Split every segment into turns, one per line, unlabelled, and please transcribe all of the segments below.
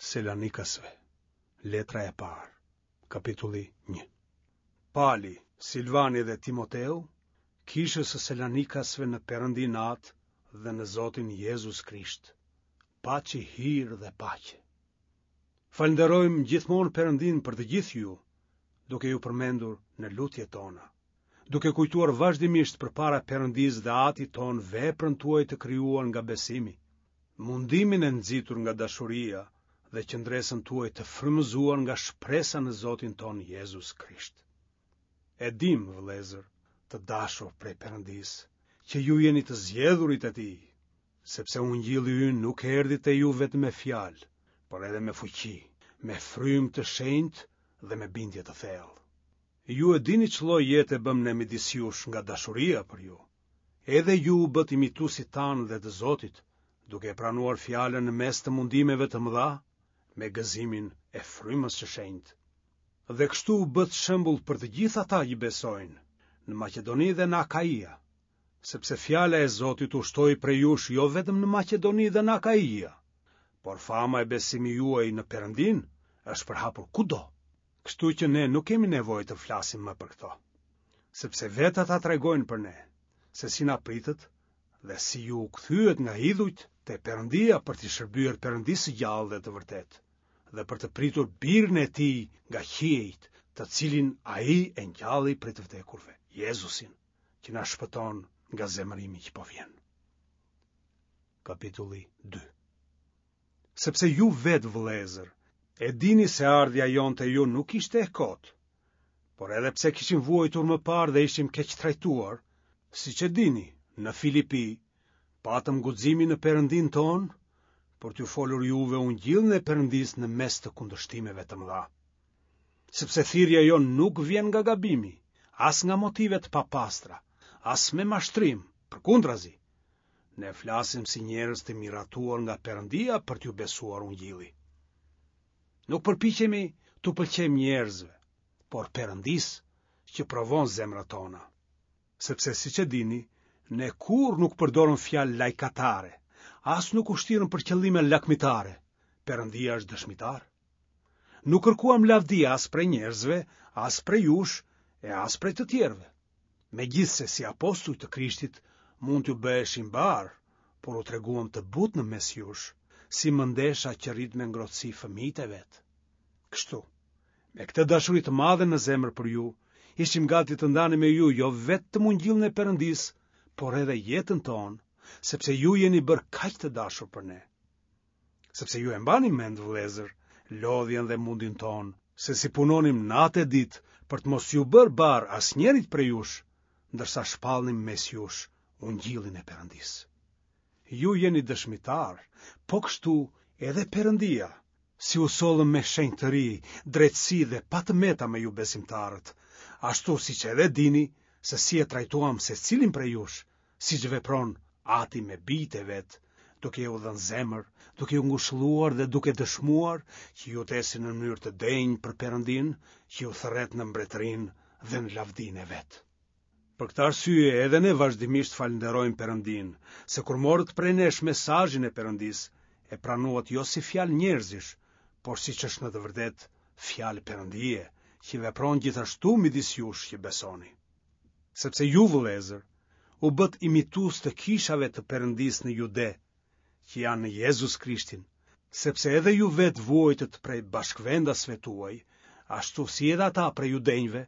Selanikasve, letra e parë, kapitulli 1. Pali, Silvani dhe Timoteu, kishës së Selanikasve në Perëndinë Atë dhe në Zotin Jezus Krisht. Paçi hir dhe paqe. Falënderojmë gjithmonë Perëndinë për të gjithë ju, duke ju përmendur në lutjet tona, duke kujtuar vazhdimisht përpara Perëndisë dhe Atit tonë veprën tuaj të krijuar nga besimi, mundimin e nxitur nga dashuria dhe qëndresën tuaj të frymëzuar nga shpresa në Zotin tonë Jezus Krisht. E dimë, vëllezër, të dashur prej Perëndisë, që ju jeni të zgjedhurit e Tij, sepse ungjilli ynë nuk erdhi te ju vetëm me fjalë, por edhe me fuqi, me frymë të shenjtë dhe me bindje të thellë. Ju e dini ç'lloj jete bëmë ne midis jush nga dashuria për ju. Edhe ju u bëtë imituesit tanë dhe të Zotit, duke e pranuar fjalën në mes të mundimeve të mëdha, me gëzimin e frymës së shenjtë. Dhe kështu u bëtë shembull për të gjithë ata që besojnë, në Maqedoni dhe në Akaia, sepse fjala e Zotit u shtoi prej jush jo vetëm në Maqedoni dhe në Akaia, por fama e besimit juaj në Perëndinë është përhapur kudo. Kështu që ne nuk kemi nevojë të flasim më për këto, sepse vetë ata tregojnë për ne, se si na pritët dhe si ju u kthyet nga idhujt te Perëndia për t'i shërbyer Perëndisë së gjallë dhe të vërtetë, dhe për të pritur birin e tij nga qiejt, të cilin ai e ngjalli prej të vdekurve, Jezusin, që na shpëton nga zemërimi që po vjen. Kapitulli 2 Sepse ju vetë vëllezër, e dini se ardhja jonë te ju nuk ishte e kotë, por edhe pse kishim vuajtur më parë dhe ishim keqtrajtuar, siç e dini, në Filipi, patëm guximin në Perëndinë tonë, për t'ju folur juve ungjillin e Perëndisë në mes të kundërshtimeve të mëdha. Sepse thirrja jonë nuk vjen nga gabimi, as nga motive të papastra, as me mashtrim, përkundrazi, Ne flasim si njerëz të miratuar nga Perëndia për t'ju besuar ungjilli. Nuk përpiqemi t'u pëlqejmë njerëzve, por Perëndisë që provon zemrat tona. Sepse siç e dini, ne kurrë nuk përdorëm fjalë lajkatare, as nuk u shtirëm për qëllime lakmitare. Perëndia është dëshmitar. Nuk kërkuam lavdi as prej njerëzve, as prej jush e as prej të tjerëve. Megjithëse si apostuj të Krishtit mund t'ju bëheshim barrë, por u treguam të butë në mes jush, si mëndesha që rrit me ngrohtësi fëmijët e vet. Kështu, me këtë dashuri të madhe në zemër për ju, ishim gati të ndanim me ju jo vetëm ungjillin e Perëndisë, por edhe jetën tonë, sepse ju jeni bërë kaq të dashur për ne. Sepse ju e mbani mend, vëllezër, lodhjen dhe mundin tonë, se si punonim natë e ditë për të mos iu bërë barrë asnjërit prej jush, ndërsa shpallnim mes jush ungjillin e Perëndisë. Ju jeni dëshmitarë, po kështu edhe Perëndia, si u sollëm me shenjtëri, drejtësi dhe pa të meta me ju besimtarët, ashtu siç edhe dini se si e trajtuam secilin prej jush, siç vepron ati me bijtë e vet, duke ju dhënë zemër, duke ju ngushëlluar dhe duke dëshmuar që ju të ecni në mënyrë të denjë për Perëndinë, që ju thërret në mbretërinë dhe në lavdinë e vet. Për këtë arsye edhe ne vazhdimisht falënderojmë Perëndinë, se kur morët prej nesh mesazhin e Perëndisë, e pranuat jo si fjalë njerëzish, por siç është në të vërtetë fjalë Perëndie, që vepron gjithashtu midis jush që besoni. Sepse ju vëllezër, u bëtë imitues të kishave të Perëndisë në Jude, që janë në Jezus Krishtin, sepse edhe ju vetë vuajtët prej bashkëvendasve tuaj, ashtu si edhe ata prej judenjve,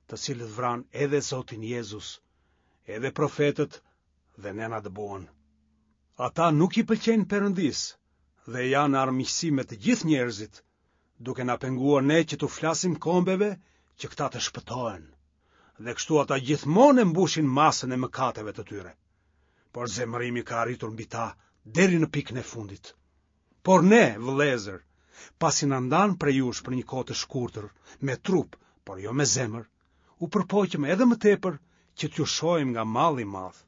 të cilët vranë edhe Zotin Jezus, edhe profetët dhe ne na dëbuan. Ata nuk i pëlqejnë Perëndisë dhe janë në armiqësi me të gjithë njerëzit, duke na penguar ne që t'u flasim kombeve që këta të shpëtohen. Dhe kështu ata gjithmonë e mbushin masën e mëkateve të tyre. Por zemërimi ka arritur mbi ta deri në pikën e fundit. Por ne, vëllezër, pasi na ndanë prej jush për një kohë të shkurtër, me trup, por jo me zemër, u përpoqëm edhe më tepër që t'ju shohim nga malli i madh.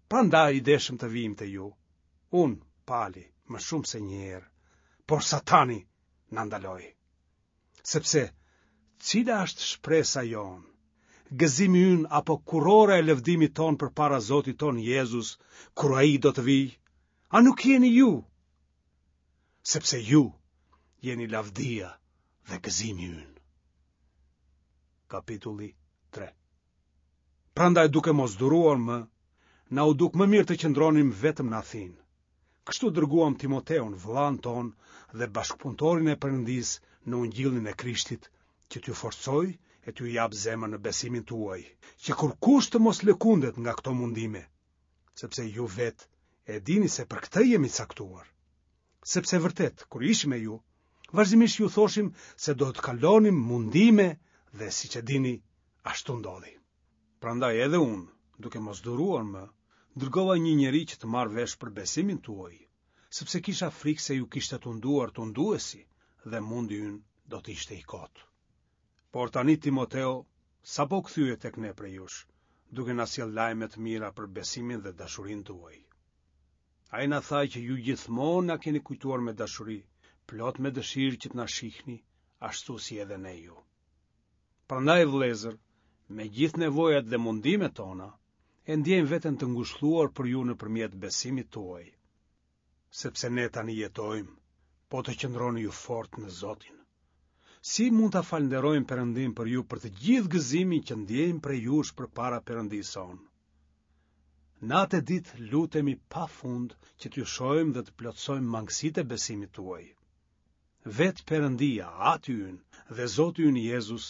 Prandaj deshëm të vijmë te ju, unë, Pali, më shumë se një herë, por Satani na ndaloi. Sepse, cila është shpresa jonë, gëzimi ynë apo kurora e lëvdimit tonë përpara Zotit tonë Jezus, kur ai do të vijë, a nuk jeni ju? Sepse ju. Jeni lavdia dhe gëzimi ynë. Kapitulli 3 Prandaj duke mos duruar më, na u duk më mirë të qëndronim vetëm në Athinë. Kështu dërguam Timoteun, vëllanë tonë dhe bashkëpunëtorin e Perëndisë në ungjillin e Krishtit, që t'ju forcojë e t'ju japë zemër në besimin tuaj, që kurrkush të mos lëkundet nga këto mundime, sepse ju vetë e dini se për këtë jemi caktuar. Sepse vërtet, kur ishim me ju, vazhdimisht ju thoshim se do të kalonim mundime dhe siç e dini, ashtu ndodhi. Prandaj edhe unë, duke mos duruar më, dërgova një njeri që të marr vesh për besimin tuaj, sepse kisha frikë se ju kishte tunduar tunduesi dhe mundi ynë do të ishte i kotë. Por tani Timoteu sapo u kthye tek ne prej jush, duke na sjellë lajme të mira për besimin dhe dashurinë tuaj. Ai na tha që ju gjithmonë na keni kujtuar me dashuri, plot me dëshirë që të na shihni, ashtu si edhe ne ju. Prandaj vëllezër, me gjithë nevojat dhe mundimet tona, e ndjejmë veten të ngushëlluar për ju nëpërmjet besimit tuaj. Sepse ne tani jetojmë, po të qëndroni ju fort në Zotin. Si mund ta falënderojmë Perëndinë për ju për të gjithë gëzimin që ndjejmë prej jush përpara Perëndisë sonë? Natë e ditë lutemi pa fund që t'ju shohim dhe të plotësojmë mangësitë e besimit tuaj. Vetë Perëndia, Ati ynë dhe Zoti ynë Jezus,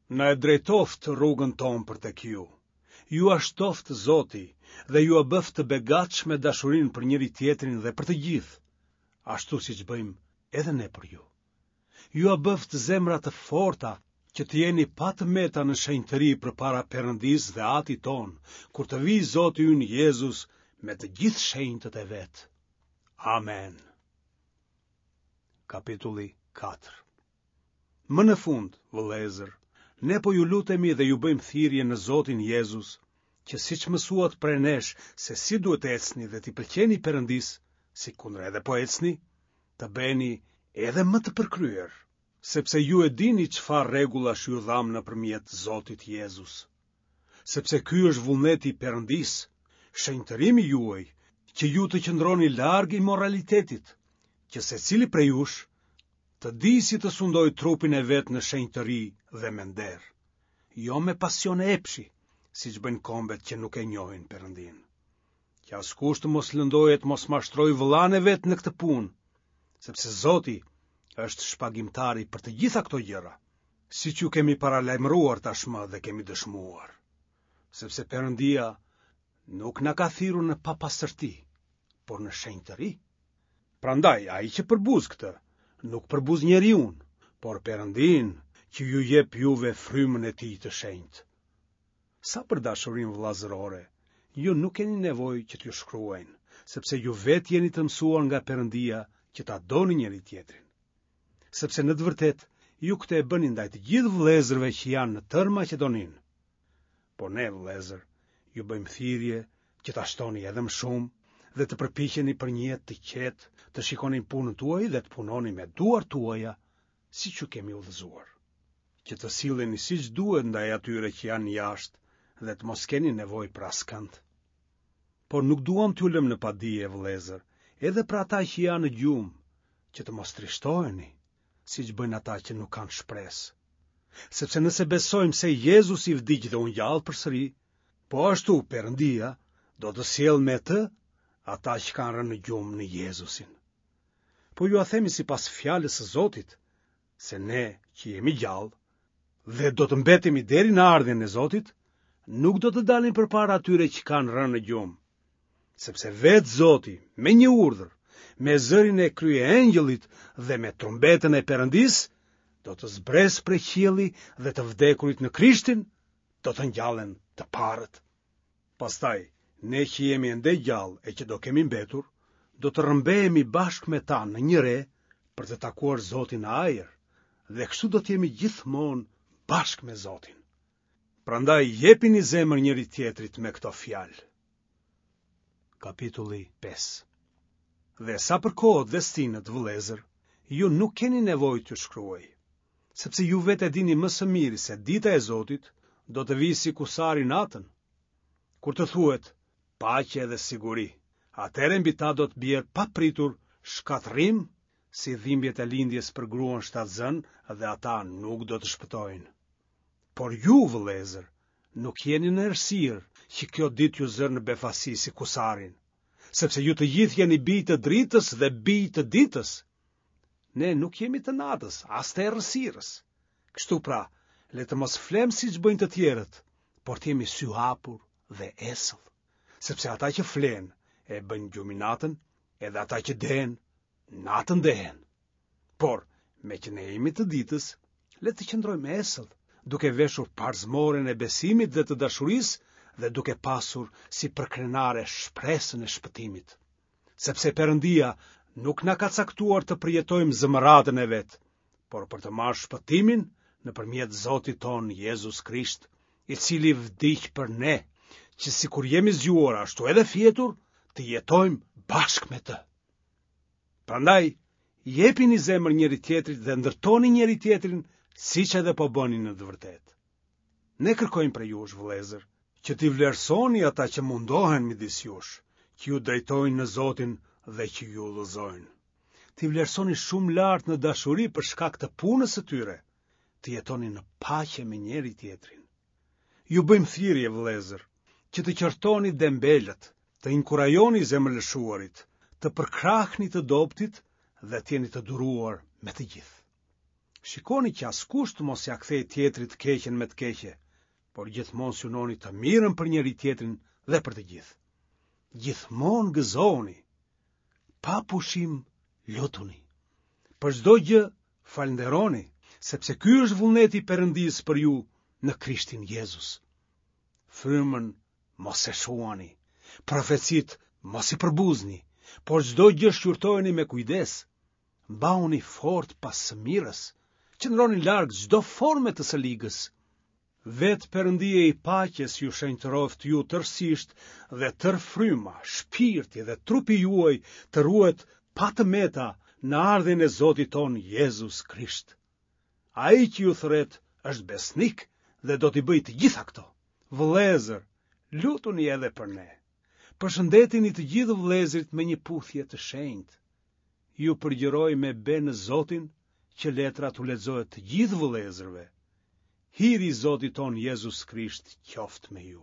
na e drejtoftë rrugën tonë për tek ju. Jua shtoftë Zoti dhe jua bëftë të begatshme dashurinë për njëri-tjetrin dhe për të gjithë, ashtu siç bëjmë edhe ne për ju. Jua bëftë zemra të forta që të jeni pa të meta në shenjtëri përpara Perëndisë dhe Atit tonë, kur të vijë Zoti ynë Jezus me të gjithë shenjtët e vet. Amen. Kapitulli 4 Më në fund, vëllezër, ne po ju lutemi dhe ju bëjmë thirrje në Zotin Jezus, që siç mësuat prej nesh se si duhet të ecni dhe t'i pëlqeni Perëndisë, sikundër edhe po ecni, të bëheni edhe më të përkryer, sepse ju e dini çfarë rregullash ju dhamë nëpërmjet Zotit Jezus. Sepse ky është vullneti i Perëndisë, shenjtërimi juaj, që ju të qëndroni larg imoralitetit, që secili prej jush të dijë si të sundojë trupin e vet në shenjtëri dhe me nder, jo me pasione epshi, siç bëjnë kombet që nuk e njohin Perëndinë. Që askush të mos lëndojë e të mos mashtrojë vëllanë e vet në këtë punë, sepse Zoti është shpagimtari për të gjitha këto gjëra, siç ju kemi paralajmëruar tashmë dhe kemi dëshmuar. Sepse Perëndia nuk na ka thirrur në papastërti, por në shenjtëri. Prandaj, ai që përbuz këtë, nuk përbuz njeriun, por Perëndinë që ju jep juve frymën e tij të shenjtë. Sa për dashurinë vëllazërore, ju nuk keni nevojë që t'ju shkruajnë, sepse ju vetë jeni të mësuar nga Perëndia që ta doni njëri-tjetrin. Sepse në të vërtetë, ju këtë e bëni ndaj të gjithë vëllezërve që janë në tërë Maqedoninë. Por ne, vëllezër, ju bëjmë thirrje që ta shtoni edhe më shumë dhe të përpiqeni për një jetë të qetë, të shikoni punën tuaj dhe të punoni me duart tuaja, siç ju kemi udhëzuar. Që të silleni siç duhet ndaj atyre që janë jashtë dhe të mos keni nevojë për askënd. Por nuk duam t'ju lëmë në padije, vëllezër, edhe për ata që janë në gjumë, që të mos trishtoheni, siç bëjnë ata që nuk kanë shpresë. Sepse nëse besojmë se Jezusi vdiq dhe u ngjall përsëri, po ashtu Perëndia do të sjellë me të ata që kanë rënë në gjumë në Jezusin. Po jua themi sipas fjalës së Zotit, se ne që jemi gjallë dhe do të mbetemi deri në ardhjen e Zotit, nuk do të dalim përpara atyre që kanë rënë në gjumë. Sepse vetë Zoti, me një urdhër, me zërin e kryeëngjëllit dhe me trumbetën e Perëndisë, do të zbresë prej qielli dhe të vdekurit në Krishtin do të ngjallen të parët. Pastaj, ne që jemi ende gjallë e që do kemi mbetur, do të rrëmbehemi bashkë me ta në një re për të takuar Zotin në ajër, dhe kështu do të jemi gjithmonë bashkë me Zotin. Prandaj jepini zemër njëri-tjetrit me këto fjalë. Kapitulli 5 Dhe sa për kohët dhe stinët, vëllezër, ju nuk keni nevojë t'ju shkruaj, sepse ju vetë e dini më së miri se dita e Zotit do të vijë si kusari natën. Kur të thuhet paqe dhe siguri, atëherë mbi ta do të bjerë papritur shkatërrim. si dhimbjet e lindjes për gruan shtatzënë dhe ata nuk do të shpëtojnë. Por ju, vëllezër, nuk jeni në errësirë që kjo ditë t'ju zërë në befasi si kusarin, sepse ju të gjithë jeni bij të dritës dhe bij të ditës. Ne nuk jemi të natës, as të errësirës. Kështu pra, le të mos flemë siç bëjnë të tjerët, por të jemi syhapur dhe esëll. Sepse ata që flenë e bëjnë gjumin natën, edhe ata që dehen, natën dehen. Por, meqë ne jemi të ditës, le të qëndrojmë esëll, duke veshur parzmoren e besimit dhe të dashurisë dhe duke pasur si përkrenare shpresën e shpëtimit. Sepse Perëndia nuk na ka caktuar të përjetojmë zemëratën e vet, por për të marrë shpëtimin nëpërmjet Zotit tonë Jezus Krisht, i cili vdiq për ne, që sikur jemi zgjuar ashtu edhe fjetur, të jetojmë bashkë me të. Prandaj, jepini zemër njëri-tjetrit dhe ndërtoni njëri-tjetrin siç edhe po bëni në të vërtetë. Ne kërkojmë prej jush, vëllezër, që t'i vlerësoni ata që mundohen midis jush, që ju drejtojnë në Zotin dhe që ju udhëzojnë. T'i vlerësoni shumë lart në dashuri për shkak të punës së tyre, të jetoni në paqe me njëri-tjetrin. Ju bëjmë thirrje, vëllezër, që të qortoni dembelët, të inkurajoni zemërlëshuarit, të përkrahni të dobëtit dhe të jeni të duruar me të gjithë. Shikoni që askush të mos ia kthejë tjetrit të keqen me të keqe, por gjithmonë synoni të mirën për njëri-tjetrin dhe për të gjithë. Gjithmonë gëzohuni, pa pushim lutuni. Për çdo gjë falënderoni, sepse ky është vullneti i Perëndisë për ju në Krishtin Jezus. Frymën mos e shuani, profecitë mos i përbuzni, por çdo gjë shqyrtojeni me kujdes. Mbahuni fort pas së mirës, qëndroni larg çdo forme të së ligës. Vetë Perëndia i paqes ju shenjtëroftë ju tërësisht dhe tërë fryma, shpirti dhe trupi juaj të ruhet pa të meta në ardhjen e Zotit tonë Jezus Krisht. Ai që ju thërret është besnik dhe do t'i bëjë të gjitha këto. Vëllezër, lutuni edhe për ne. Përshëndetini të gjithë vëllezërit me një puthje të shenjtë. Ju përgjëroj me be në Zotin që letra t'u lexohet të gjithë vëllezërve. Hiri i Zotit tonë Jezus Krisht qoftë me ju.